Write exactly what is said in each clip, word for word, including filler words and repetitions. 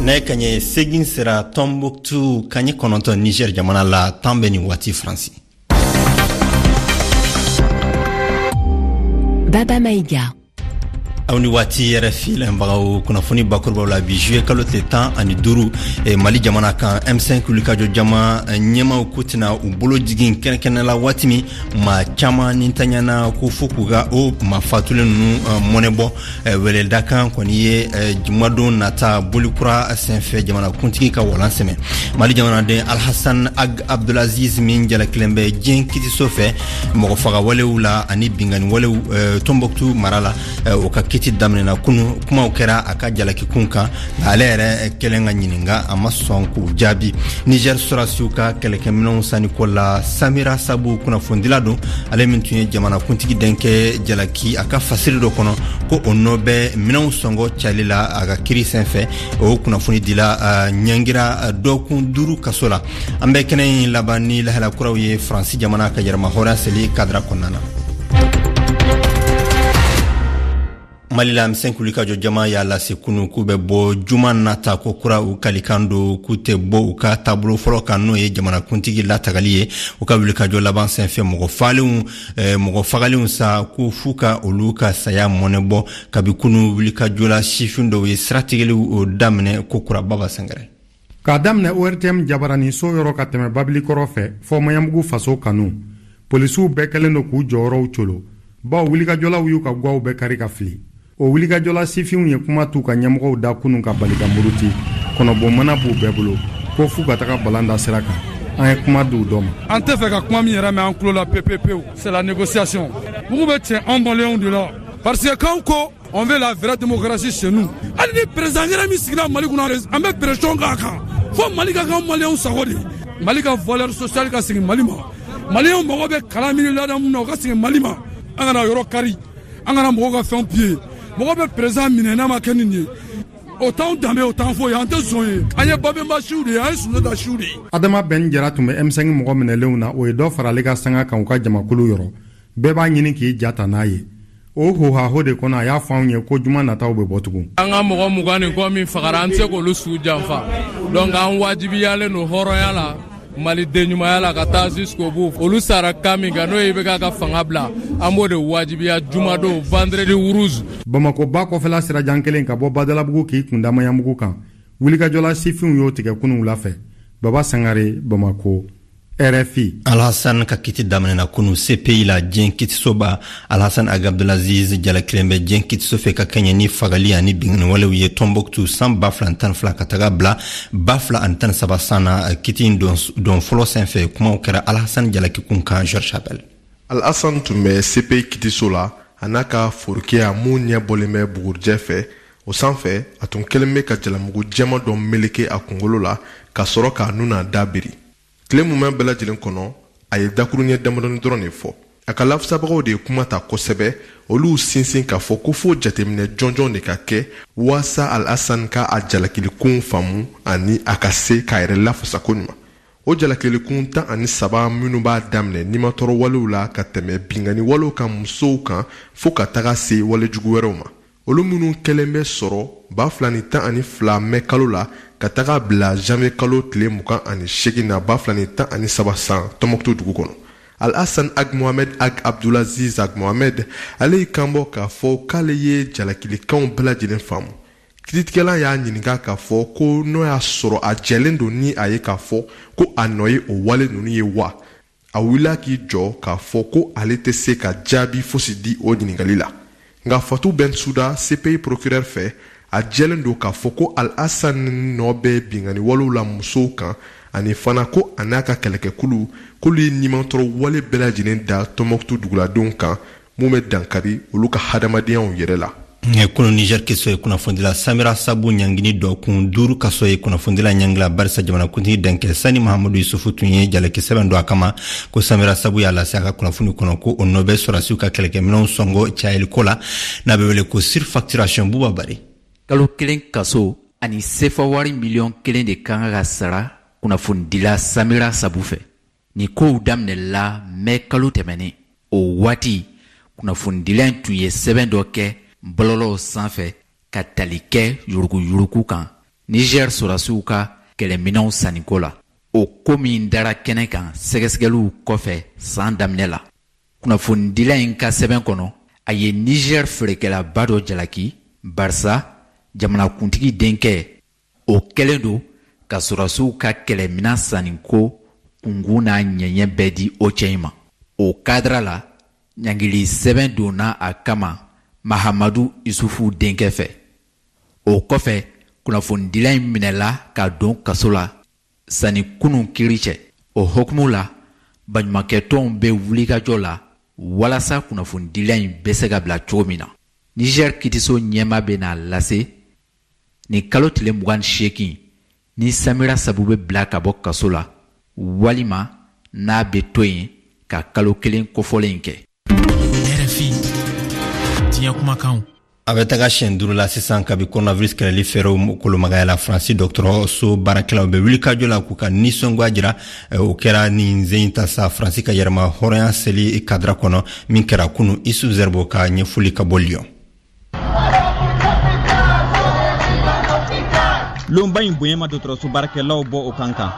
Nɛgɛ kaɲɛ segin sera Tombouctou, kaɲɛ kɔnɔntɔn Niger jamana la, tan bɛ nin waati Faransi. Baba Maïga. Aw ni waati R F I lamɛnbagaw, kunnafoni bakurubaw la bi juillet kalo tile tan ani duuru, eh, Mali jamana kan, M cinq wulikajɔ jama ɲɛmaw ko tɛna u bolo jigin kɛnɛkɛnɛ la waati min maa caman ni taɲana ko fo k'u ka o maa fatulen ninnu mɔnɛ bɔ. Weledakan kɔni ye jumadon nata bolikura senfɛ jamanakuntigi ka walan sɛmɛ. Mali jamanaden Alhassan Ag Abdulaziz min jalakilen bɛ diɲɛ kitiso fɛ mɔgɔ fagawalew la ani binkanni walew Tombouctou mara la, o ka kiti daminɛna kunu. Kumaw kɛra a ka jalakikun kan, nka ale yɛrɛ kɛlen ka ɲininka, a ma sɔn k'u jaabi. Niger sɔrɔdasiw ka kɛlɛkɛminɛnw sanniko la, Samira Sabu kunnafonidila don, ale min tun ye jamanakuntigi denkɛ jalaki a ka fasiri dɔ kɔnɔ ko o nɔ bɛ minɛnw sɔngɔ cayali la a ka kiri senfɛ, o kunnafoni dila ɲangira dɔgɔkun duuru kaso la. An bɛ kɛnɛ in laban ni lahala kuraw ye Faransi jamana ka yɛrɛmahɔrɔnya seli kadira kɔnɔna na. Mali la, M cinq wulikajɔ jama y'a lase kunu k'u bɛ bɔ juma nata ko kura. U kalikan don k'u tɛ bɔ u ka taabolo fɔlɔ kan, n'o ye jamanakuntigi latagali ye. U ka wulikajɔ laban senfɛ, mɔgɔ falenw, mɔgɔ fagalenw sa ko f'u ka olu ka saya mɔnɛ bɔ. Kabi kunu, wulikajɔ la sifin dɔw ye siratigɛliw daminɛ ko kura. Baba Sangare. K'a daminɛ O R T M jabarani so yɔrɔ ka tɛmɛ Babilikɔrɔ fɛ fɔ Maɲanbugu faso kanu, polisiw bɛɛ kɛlen don k'u jɔyɔrɔw colo, bawo wulikajɔlaw y'u ka gwaw bɛɛ kari ka fili. O wulikajɔla sifinw ye kuma t'u ka ɲɛmɔgɔw da kunun ka bali ka muruti. Kɔnɔbɔnmana b'u bɛɛ bolo ko f'u ka taga balan da sira kan. An ye kuma d'u dɔ ma. An tɛ fɛ ka kuma min yɛrɛ mɛn an tulo la pepepewu, c'est la négociation. Mugu bɛ cɛ anw maliyɛnw de la, parce que k'anw ko on veut la vraie démocratie chez nous. Hali ni président yɛrɛ min sigira Mali kunna, an bɛ pression k'a kan fo Mali ka k'an maliyɛnw sago de. Mali ka valeur sociale ka segin Mali ma. Maliyɛnw mago bɛ kalan min ni ladamu na, o ka segin Mali ma. An kana yɔrɔ kari, an kana mɔgɔw ka fɛnw piller. Mɔgɔ bɛ président minɛ n'a ma kɛ nin ye, o t'anw danbe, o t'an foyi, an tɛ zon ye. An ye Babemba siw de ye, an ye Sunjata siw de ye. Adama Bɛn Jara tun bɛ M cinq mɔgɔ minɛlenw na, o ye dɔ fara ale ka sanga kan u ka jamakulu yɔrɔ. Bɛɛ b'a ɲini k'i ja ta n'a ye. O hohaho de kɔnɔ, a y'a fɔ anw ye ko juma nataw bɛ bɔ tugun. An ka mɔgɔ mugan ni kɔ min fagara, an tɛ se k'olu su janfa, donc an wajibiyalen don hɔrɔnya la, maliden ɲumanya la, ka taa jusqu'au bout. Olu sara kan min kan, n'o ye I B K ka fanga bila, an b'o de wajibiya jumadon, vendredi rouge. Bamako ba kɔfɛla sirajan kelen ka bɔ Badalabugu k'i kunda Maɲanbugu kan, wulikajɔla sifinw y'o tigɛ kunun wula fɛ. Baba Sangare, Bamako, R F I. Alhassan ka kiti daminɛna kunu C P I la, diɲɛ kitisoba. Alhassan Ag Abdulaziz jalakilen bɛ diɲɛ kitiso fɛ ka kɛɲɛ ni fagali ani binkanni ye Tombouctou san ba fila tan fila ka taga bila ba fila ani tan saba san na. Kiti in don fɔlɔ senfɛ, kumaw kɛra Alhassan jalakikun kan. Georges Chapel. Alhassan tun bɛ C P I kitiso la, a n'a ka forokiya mun ɲɛ bɔlen bɛ bugurijɛ fɛ. O sanfɛ, a tun kɛlen bɛ ka jalamugu jɛman dɔ meleke a kunkolo la ka sɔrɔ k'a nun n'a da biri. Tile mumɛ bɛɛ lajɛlen kɔnɔ, a ye dakuruɲɛ damadɔni dɔrɔn de fɔ. A ka lafasabagaw de ye kuma ta kosɛbɛ. Olu sinsin k'a fɔ ko fo jateminɛ jɔnjɔn de ka kɛ waasa Alhassan ka a jalakilikun faamu ani a ka se k'a yɛrɛ lafasa koɲuman. O jalakilikun tan ani saba minnu b'a daminɛ nimatɔrɔ walew la ka tɛmɛ binkanni walew kan musow kan fo ka taga se walejugu wɛrɛw ma, olu minnu kɛlen bɛ sɔrɔ ba fila ni tan ani fila mɛ kalo la ka taga bila janvier kalo tile mugan ani seegin na ba fila ni tan ani saba san Tɔnbɔkutu dugu kɔnɔ. Alhassan Ag Mohamed Ag Abdulaziz Ag Mohamed, ale y'i kanbɔ k'a fɔ k'ale ye jalakilikanw bɛɛ lajɛlen faamu. Kiiritigɛla y'a ɲininka k'a fɔ ko n'o y'a sɔrɔ a jɛlen don ni a ye k'a fɔ ko a nɔ ye o wale ninnu ye wa. A wulila k'i jɔ k'a fɔ ko ale tɛ se ka jaabi fosi di o ɲininkali la. Nka Fatou Bensouda, C P I procureur fɛ, a jɛlen don k'a fɔ ko Al-Hassan nɔ bɛ binkanni walew la musow kan, ani fana ko a n'a ka kɛlɛkɛkulu k'olu ye nimatɔrɔ wale bɛɛ lajɛlen da Tɔnbɔkutu duguladenw kan mun bɛ dankari olu ka hadamadenyaw yɛrɛ la. Kunu, Niger kiso ye kunnafonidila Samira Sabu ɲangini dɔ kun duuru kaso ye. Kunnafonidila ɲangila barisa jamanakuntigi denkɛ Sani Mahamadu Yusufu tun ye jalaki sɛbɛn don a kama ko Samira Sabu y'a lase a ka kunnafoni kɔnɔ ko o nɔ bɛ sɔrɔdasiw ka kɛlɛkɛminɛnw sɔngɔ cayaliko la, n'a bɛ wele ko surfacturation. Buba Bari. Kalo kelen kaso ani sefa wari miliyɔn kelen de ka kan ka sara kunnafonidila Samira Sabu fɛ. Nin kow daminɛla mɛ kalo tɛmɛnen. O waati, kunnafonidila in tun ye sɛbɛn dɔ kɛ bɔlɔlɔw sanfɛ ka tali kɛ yuruguyurugu kan. Niger sɔrɔdasiw ka kɛlɛminɛnw sanniko la. O ko min dara kɛnɛ kan sɛgɛsɛgɛliw kɔfɛ san daminɛ la. Kunnafonidila in ka sɛbɛn kɔnɔ, a ye Niger feerekɛlaba dɔ jalaki barisa jamanakuntigi denkɛ o kɛlen don ka sɔrɔdasiw ka kɛlɛminɛn sanniko kunkun n'a ɲɛɲɛ bɛɛ di o cɛ in ma. O kadira la, ɲangili sɛbɛn donna a kama Mahamadu Isufu denkɛ fɛ. O kɔfɛ, kunnafonidila in minɛla ka don kaso la sanni kunun kiri cɛ. O hukumu la, baɲumankɛtɔnw bɛ wulikajɔ la walasa kunnafonidila in bɛ se ka bila cogo min na. Niger kitiso ɲɛma bɛ n'a lase nin kalo tile mugan ni seegin ni Samira Sabu bɛ bila ka bɔ kaso la walima n'a bɛ to yen ka kalo kelen kofɔlen in kɛ. R F I diɲɛ kumakanw. A bɛ taga siɲɛ duuru la sisan kabi coronavirus kɛlɛli fɛɛrɛw kolomagaya la. Faransi dɔgɔtɔrɔso baarakɛlaw bɛ wulikajɔ la k'u ka nisɔngoya jira. O kɛra nin zen ta sa Faransi ka yɛrɛma hɔrɔnya seli kadira kɔnɔ min kɛra kunu. Isu Zerbo ka ɲɛfɔli ka bɔ Lyon. Lonba in bonya ma dɔgɔtɔrɔso baarakɛlaw bɔ o kan kan.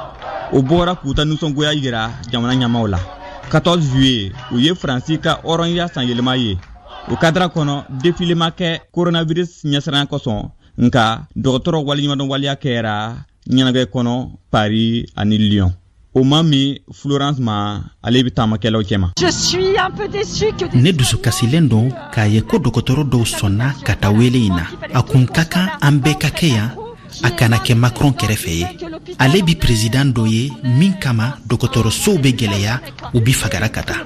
O bɔra k'u ta nisɔngoya yira jamana ɲɛmaaw la. quatorze juillet, o ye Faransi ka hɔrɔnya sanyɛlɛma ye. O kadira kɔnɔ, défilé ma kɛ coronavirus ɲɛsiranya kosɔn, nka dɔgɔtɔrɔ waleɲumandɔn waleya kɛra ɲɛnajɛ kɔnɔ Paris ani Lyon. O ma min Florence ma, ale bɛ taamakɛlaw cɛma. Ne dusukasilen don k'a ye ko dɔgɔtɔrɔ dɔw sɔnna ka taa wele in na. A kun ka kan an bɛɛ ka kɛ yan, a kana kɛ Macron kɛrɛfɛ ye. Ale bi président dɔ ye min kama dɔgɔtɔrɔsow bɛ gɛlɛya, u bi fagara ka taa.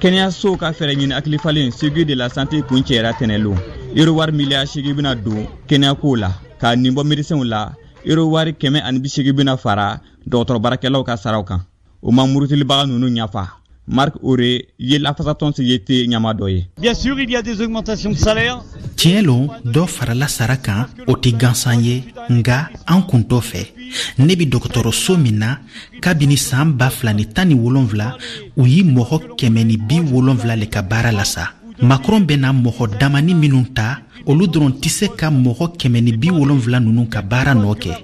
Kɛnɛyasow ka fɛɛrɛ ɲini hakilifalen Ségur de la santé kun cɛra tɛnɛlon. Euro wari miliyari seegin bɛna don kɛnɛyako la, ka nin bɔ médecinw la. Euro wari kɛmɛ ani bi seegin bɛna fara dɔgɔtɔrɔ baarakɛlaw ka saraw kan. O ma murutilibaga ninnu ɲafa. Marc Auré ye lafasatɔn C G T ɲɛmaa dɔ ye. Bien sûr, il y a des augmentations de salaire. Tiɲɛ lo, dɔ farala sara kan, o tɛ gansan ye, nka an kun t'o fɛ. Ne bi dɔgɔtɔrɔso min na kabini san ba fila ni tan ni wolonfila, u ye mɔgɔ kɛmɛ ni bi wolonfila le ka baara la sa. Macron bɛna mɔgɔ damani minnu ta, olu dɔrɔn tɛ se ka mɔgɔ kɛmɛ ni bi wolonfila ninnu ka baara nɔ kɛ.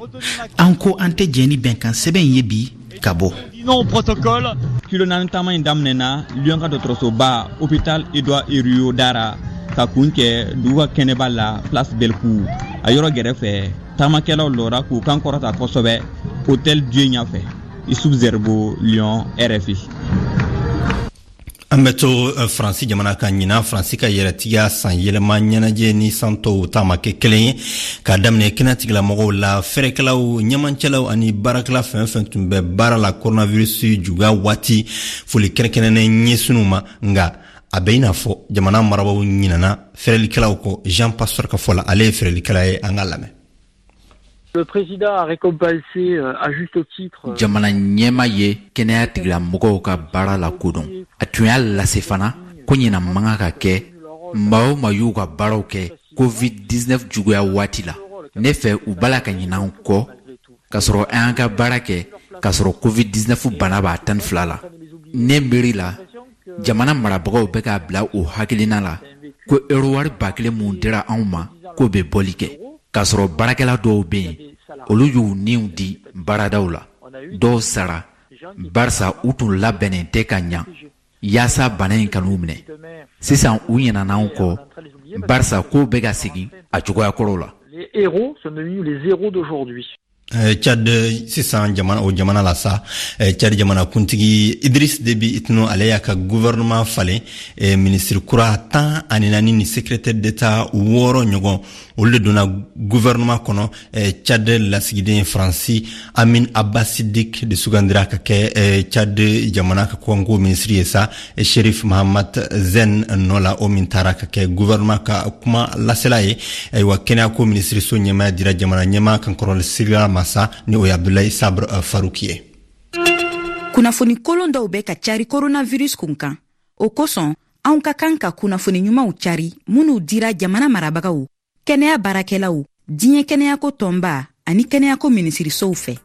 An ko an tɛ jɛn ni bɛnkan sɛbɛn ye bi ka bɔ. Non protocole. Kilo naani taama in daminɛna Lyon ka dɔgɔtɔrɔsoba Hôpital Edouard Herriot dara ka kun kɛ dugu ka kɛnɛba la Place Bellecour. A yɔrɔ gɛrɛfɛ, taamakɛlaw lɔra k'u kan kɔrɔta kosɛbɛ Hôtel Dieu ɲɛfɛ. Issouf Zerbo, Lyon, R F I. An bɛ to Faransi jamana kan ɲinan. Faransi ka yɛrɛtigiya san yɛlɛma ɲɛnajɛ ni san tɔw ta ma kɛ kelen ye, k'a daminɛ kɛnɛtigilamɔgɔw la, fɛrɛkɛlaw, ɲɛmancɛlaw ani baarakɛla fɛn fɛn tun bɛ baara la coronavirus juguya waati, foli kɛrɛnkɛrɛnnen ɲɛsinw ma. Nka a bɛ i n'a fɔ jamana marabaaw ɲinana fɛrɛlikɛlaw kɔ. Jean Pasteur ka fɔ la, ale ye fɛrɛlikɛla ye, an k'a lamɛn. Le président a récompensé à juste titre. Jamana ɲɛma ye kɛnɛya tigilamɔgɔw ka baara la kodɔn. A tun y'a lase fana ko ɲinan man kan ka kɛ maa o maa y'u ka baaraw kɛ covid dix-neuf juguya waati la. Ne fɛ u b'a la ka ɲinɛ an kɔ k'a sɔrɔ an y'an ka baara kɛ k'a sɔrɔ covid dix-neuf bana b'a tan ni fila la. Ne miiri la, jamana marabagaw bɛ k'a bila o hakilina la ko euro wari ba kelen mun dira anw ma k'o bɛ bɔli kɛ. K'a sɔrɔ baarakɛla dɔw bɛ yen, olu y'u niw di baaradaw la. Dɔw sara barisa u tun labɛnnen tɛ ka ɲa yaasa bana in kan'u minɛ. Sisan u ɲinɛna anw kɔ barisa kow bɛ ka segin a cogoya kɔrɔw la. Les héros sont devenus les héros d'aujourd'hui. Tchad sisan jamana o jamana la sa, Tchad jamana kuntigi Idriss Déby Itno ale y'a ka gouvernement falen. Ministre kura tan ani naani ni secrétaire d'État wɔɔrɔ ɲɔgɔn, olu de donna gouvernement kɔnɔ. Tchad lasigiden Faransi Amin Abba Siddik de sugandira ka kɛ Tchad jamana ka kɔnko ministre ye sa, Sherif Mahamat Zen nɔ la, o min taara ka kɛ gouvernement ka kuma lasela ye. Ayiwa, kɛnɛyako ministre so ɲɛmaaya dira jamana ɲɛmaa kankɔrɔli sirila ma sa, ni o ye Abdoulaye Sabre Farouk ye. Kunnafoni kolon dɔw bɛ ka cari coronavirus kun kan. O kosɔn, anw ka kan ka kunnafoni ɲumanw cari minnu dira jamana marabagaw, kɛnɛya baarakɛlaw, diɲɛ kɛnɛyako tɔnba ani kɛnɛyako minisirisow fɛ.